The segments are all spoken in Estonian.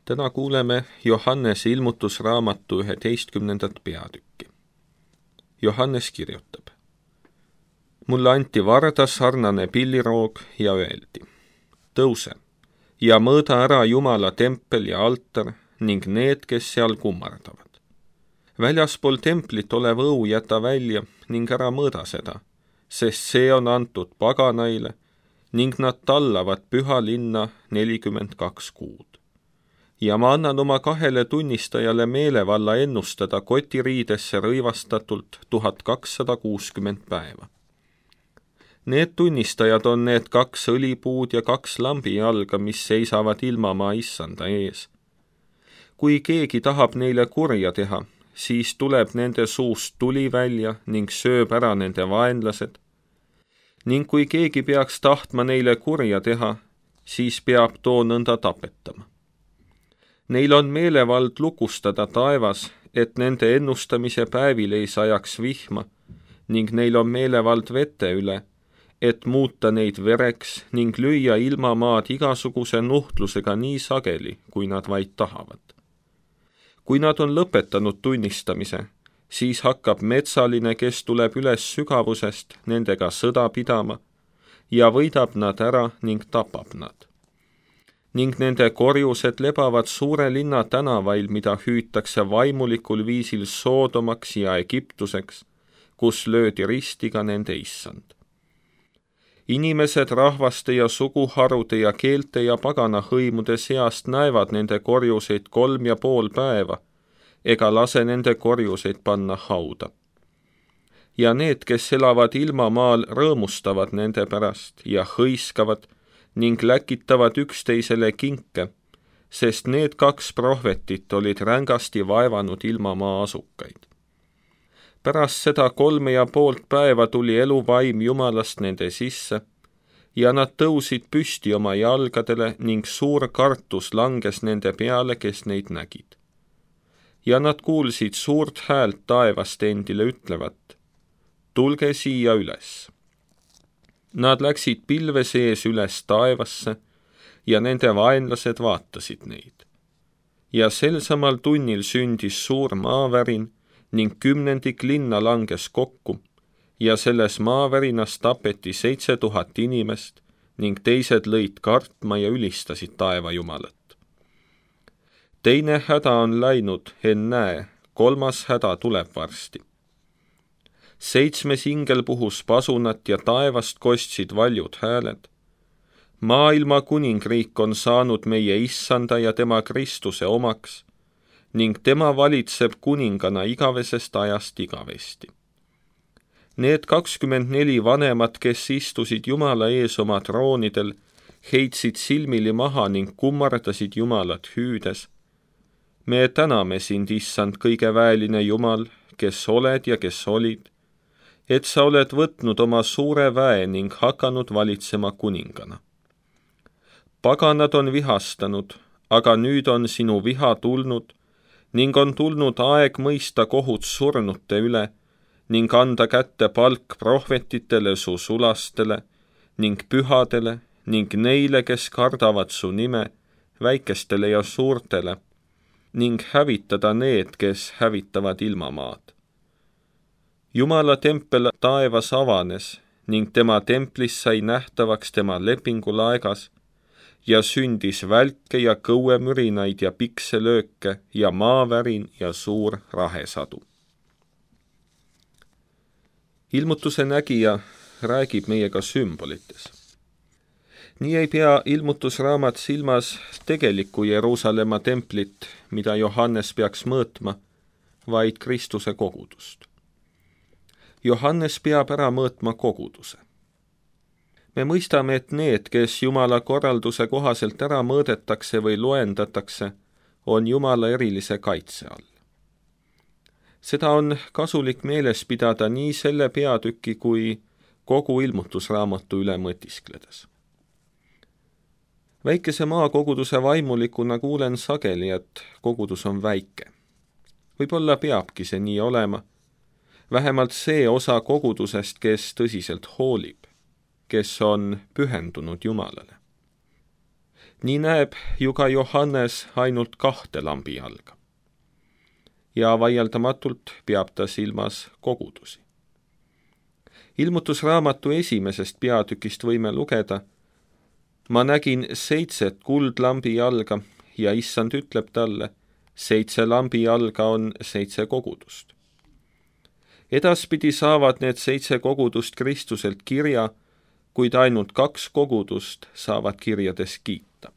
Täna kuuleme Johannese ilmutusraamatu 11. peatükki. Johannes kirjutab. Mulle anti varda sarnane pilliroog ja öeldi, tõuse ja mõõda ära Jumala tempel ja altar ning need, kes seal kummardavad. Väljaspool templit olev õu jäta välja ning ära mõõda seda, sest see on antud paganaile ning nad tallavad püha linna 42 kuud. Ja ma annan oma 2 tunnistajale meelevalla ennustada kotiriidesse rõivastatult 1260 päeva. Need tunnistajad on need 2 õlipuud ja 2 lambijalga, mis seisavad ilmamaa issanda ees. Kui keegi tahab neile kurja teha, siis tuleb nende suust tuli välja ning sööb ära nende vaenlased. Ning kui keegi peaks tahtma neile kurja teha, siis peab too nõnda tapetama. Neil on meelevald lukustada taevas, et nende ennustamise päevil ei sajaks vihma, ning neil on meelevald vete üle, et muuta neid vereks ning lüüa ilmamaad igasuguse nuhtlusega nii sageli, kui nad vaid tahavad. Kui nad on lõpetanud tunnistamise, siis hakkab metsaline, kes tuleb üles sügavusest, nendega sõda pidama ja võidab nad ära ning tapab nad. Ning nende korjused lebavad suure linna tänavail, mida hüütakse vaimulikul viisil Soodomaks ja Egiptuseks, kus löödi ristiga nende issand. Inimesed rahvaste ja suguharude ja keelte ja pagana hõimude seast näevad nende korjuseid 3,5 päeva, ega lase nende korjuseid panna hauda. Ja need, kes elavad ilmamaal, rõõmustavad nende pärast ja hõiskavad ning läkitavad üksteisele kinke, sest need 2 prohvetit olid rängasti vaevanud ilmamaa asukaid. Pärast seda 3,5 päeva tuli eluvaim Jumalast nende sisse ja nad tõusid püsti oma jalgadele ning suur kartus langes nende peale, kes neid nägid. Ja nad kuulsid suurt häält taevast endile ütlevat, tulge siia üles. Nad läksid pilve sees üles taevasse ja nende vaenlased vaatasid neid. Ja sel samal tunnil sündis suur maavärin ning 10 linna langes kokku ja selles maavärinas tapeti 7000 inimest ning teised lõid kartma ja ülistasid taeva Jumalat. Teine häda on läinud, ennäe, 3. häda tuleb varsti. 7 ingel puhus pasunat ja taevast kostsid valjud hääled. Maailma kuningriik on saanud meie issanda ja tema Kristuse omaks ning tema valitseb kuningana igavesest ajast igavesti. Need 24 vanemat, kes istusid Jumala ees oma troonidel, heitsid silmili maha ning kummardasid Jumalat hüüdes. Me täname sind, issand, kõige väeline Jumal, kes oled ja kes olid, et sa oled võtnud oma suure väe ning hakanud valitsema kuningana. Paganad on vihastanud, aga nüüd on sinu viha tulnud ning on tulnud aeg mõista kohut surnute üle ning anda kätte palk prohvetitele su sulastele ning pühadele ning neile, kes kardavad su nime, väikestele ja suurtele, ning hävitada need, kes hävitavad ilmamaad. Jumala tempel taevas avanes ning tema templis sai nähtavaks tema lepingulaegas ja sündis välke ja kõuemürinaid ja pikselööke ja maavärin ja suur rahesadu. Ilmutuse nägija räägib meiega sümbolites. Nii ei pea ilmutusraamat silmas tegelikku Jeruusalemma templit, mida Johannes peaks mõõtma, vaid Kristuse kogudust. Johannes peab ära mõõtma koguduse. Me mõistame, et need, kes Jumala korralduse kohaselt ära mõõdetakse või loendatakse, on Jumala erilise kaitse all. Seda on kasulik meeles pidada nii selle peatüki kui kogu ilmutusraamatu üle mõtiskledes. Väikese maakoguduse vaimulikuna kuulen sageli, et kogudus on väike. Võib-olla peabki see nii olema, vähemalt see osa kogudusest, kes tõsiselt hoolib, kes on pühendunud Jumalale. Nii näeb ju ka Johannes ainult 2 lambijalga. Ja vaieldamatult peab ta silmas kogudusi. Ilmutusraamatu 1. peatükist võime lugeda: ma nägin 7 kuldlambijalga ja issand ütleb talle, 7 lambijalga on 7 kogudust. Edaspidi saavad need 7 kogudust Kristuselt kirja, kuid ainult 2 kogudust saavad kirjades kiita.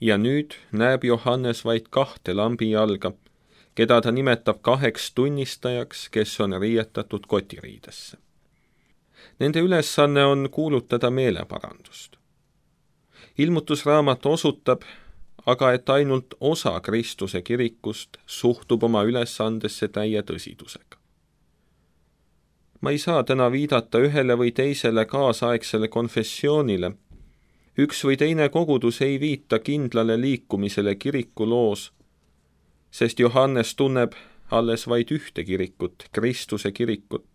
Ja nüüd näeb Johannes vaid 2 lambijalga, keda ta nimetab 2 tunnistajaks, kes on riietatud kotiriidesse. Nende ülesanne on kuulutada meeleparandust. Ilmutusraamat osutab aga, et ainult osa Kristuse kirikust suhtub oma ülesandesse täie tõsidusega. Ma ei saa täna viidata ühele või teisele kaasaegsele konfessioonile. Üks või teine kogudus ei viita kindlale liikumisele kirikuloos, sest Johannes tunneb alles vaid ühte kirikut, Kristuse kirikut.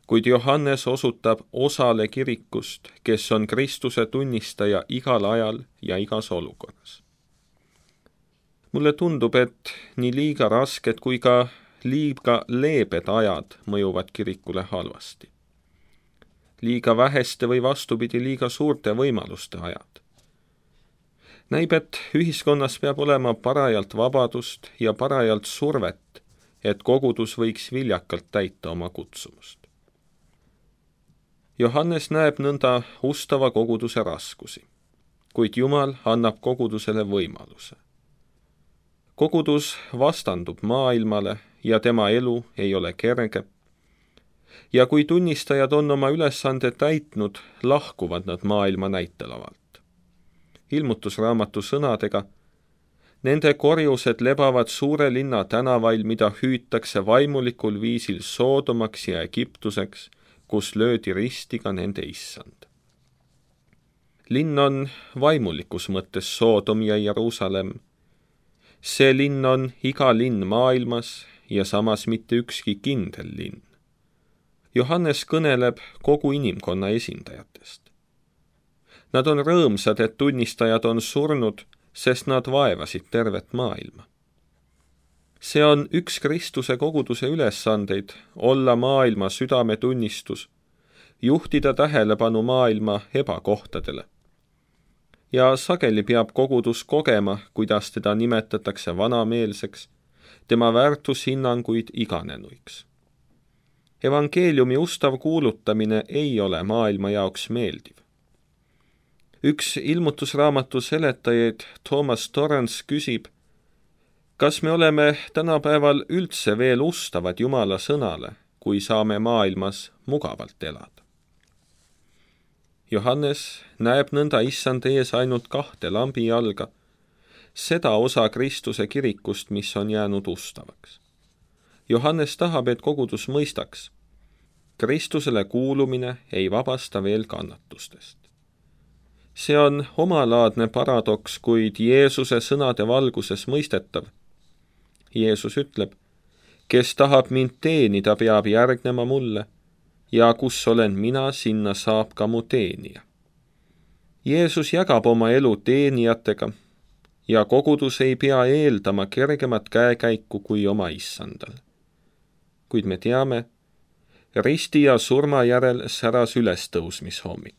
Kuid Johannes osutab osale kirikust, kes on Kristuse tunnistaja igal ajal ja igas olukorras. Mulle tundub, et nii liiga rasked kui ka liiga leebed ajad mõjuvad kirikule halvasti. Liiga väheste või vastupidi liiga suurte võimaluste ajad. Näib, et ühiskonnas peab olema parajalt vabadust ja parajalt survet, et kogudus võiks viljakalt täita oma kutsumust. Johannes näeb nõnda ustava koguduse raskusi, kuid Jumal annab kogudusele võimaluse. Kogudus vastandub maailmale ja tema elu ei ole kerge. Ja kui tunnistajad on oma ülesande täitnud, lahkuvad nad maailma näitelavalt. Ilmutusraamatu sõnadega: nende korjused lebavad suure linna tänavail, mida hüütakse vaimulikul viisil Soodomaks ja Egiptuseks, kus löödi ristiga nende issand. Linn on vaimulikus mõttes Soodom ja Jeruusalemm. See linn on iga linn maailmas ja samas mitte ükski kindel linn. Johannes kõneleb kogu inimkonna esindajatest. Nad on rõõmsad, et tunnistajad on surnud, sest nad vaevasid tervet maailma. See on üks Kristuse koguduse ülesandeid, olla maailma südametunnistus, juhtida tähelepanu maailma ebakohtadele. Ja sageli peab kogudus kogema, kuidas teda nimetatakse vanameelseks, tema väärtushinnanguid iganenuiks. Evangeeliumi ustav kuulutamine ei ole maailma jaoks meeldiv. Üks ilmutusraamatu seletajaid, Thomas Torrance, küsib, kas me oleme tänapäeval üldse veel ustavad Jumala sõnale, kui saame maailmas mugavalt elada? Johannes näeb nõnda issand ees ainult 2 lambijalga, seda osa Kristuse kirikust, mis on jäänud ustavaks. Johannes tahab, et kogudus mõistaks: Kristusele kuulumine ei vabasta veel kannatustest. See on omalaadne paradoks, kuid Jeesuse sõnade valguses mõistetav. Jeesus ütleb: kes tahab mind teenida, peab järgnema mulle, ja kus olen mina, sinna saab ka mu teenija. Jeesus jagab oma elu teenijatega ja kogudus ei pea eeldama kergemat käekäiku kui oma issandal. Kuid me teame, risti ja surma järel säras ülestõusmishommik.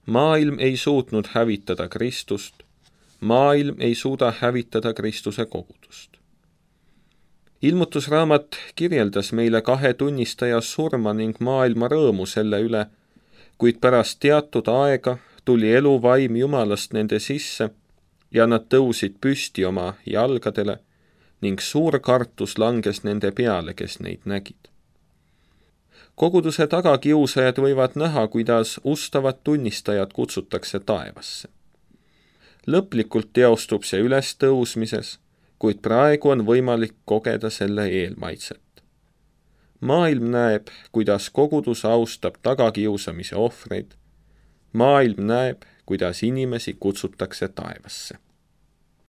Maailm ei suutnud hävitada Kristust, maailm ei suuda hävitada Kristuse kogudust. Ilmutusraamat kirjeldas meile 2 tunnistaja surma ning maailma rõõmu selle üle, kuid pärast teatud aega tuli eluvaim Jumalast nende sisse ja nad tõusid püsti oma jalgadele ning suur kartus langes nende peale, kes neid nägid. Koguduse tagakiusajad võivad näha, kuidas ustavad tunnistajad kutsutakse taevasse. Lõplikult teostub see ülestõusmises, kuid praegu on võimalik kogeda selle eelmaitset. Maailm näeb, kuidas kogudus austab tagakiusamise ohvreid. Maailm näeb, kuidas inimesi kutsutakse taevasse.